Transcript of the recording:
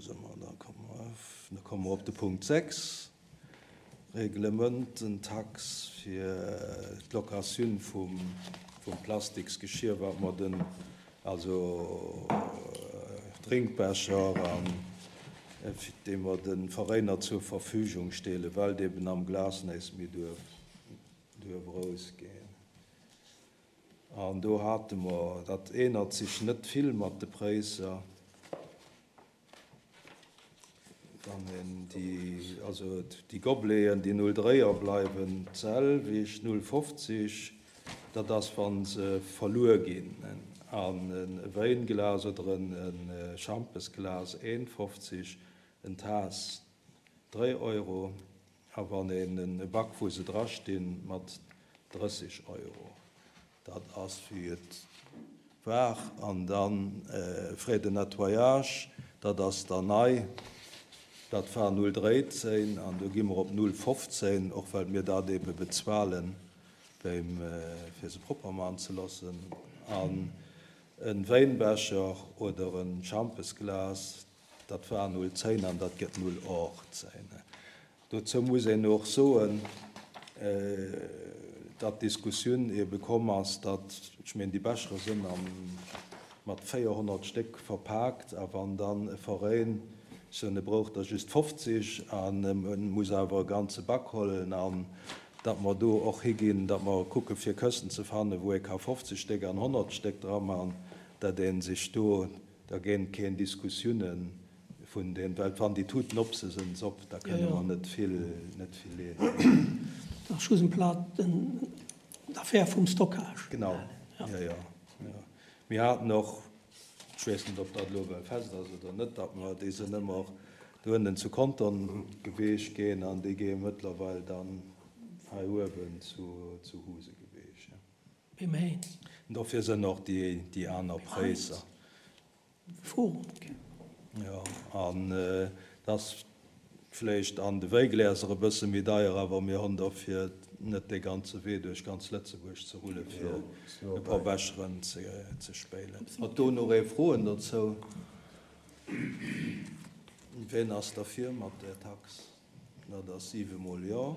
Wou si mer? Da komme mer, da komme mer op de Punkt 6, Reglemententax fir d'Locatioun vum Plastiksgeschir, wat mer den, also Drénkbecher an dee mer de Veräiner zur Verfügung stellen, well et eben am Glas näischt méi duerf erausgeen. An do hate mer, dat ännert sech net vill mat de Präisser, wann een déi, also déi Gobeleten, déi 0,3er bleiwen d'selwecht, 0,50, dat ass wa se verluer ginn, an e Wäinglas oder e Schampesglas 1,50, en Taass 3 Euro. A wann een e Bac, wou se drastinn, mat 30 Euro, dat ass wéi et war. An dann Frais de nettoyage, dat ass dann nei, dat war 0,13 an do gi mer op 0,15, och well mir dat eebe bezuelen, fir se propper maachen ze loossen. An e Wäinbecher oder e Schampesglas, Dat war 0,10 an dat gëtt 0,18. Dozou muss een och soen, datt d'Diskussioun ebe komm ass, datt, ech mengen, déi Bechere sënn mat 400 Stéck verpaakt a wann dann e Veräin sou, e brauch der just 50 an e muss awer e ganze Bac hollen an datt mer do och higinn, datt mer kucke fir Këschten ze fannen, wou ee ka 50 Stéck an 100 Stéck dra man, datt ee sech do Da géint keen Diskussiounen vun den, well wann déi Tuten op se sinn se op, da kënne mer net vill, net vill leeden. Dat ass schlussendlech den d'Affär vum Stockage. Genau, jo, jo, jo. Mir haten och, ech weess net, ob dat elo well fest ass oder net, datt mer, déi sinn ëmmer do ënnen zu Contern geweecht ginn an déi géie mëttlerweil dann hei uewen zu Huse geweecht. Beim Heinz. Dofir sënn och déi aner Präisser. Forum. Jo, an et ass vläicht an de Wäigläser e bësse méi deier, awer mir honn dofir net dee ganze Wee duerch ganz Lëtzebuerg ze rulle fir e puer Becheren ze spéilen. Hutt do nach ee Froen dozou? Ween ass derfir mat där Tax? Dat ass siwemol Jo.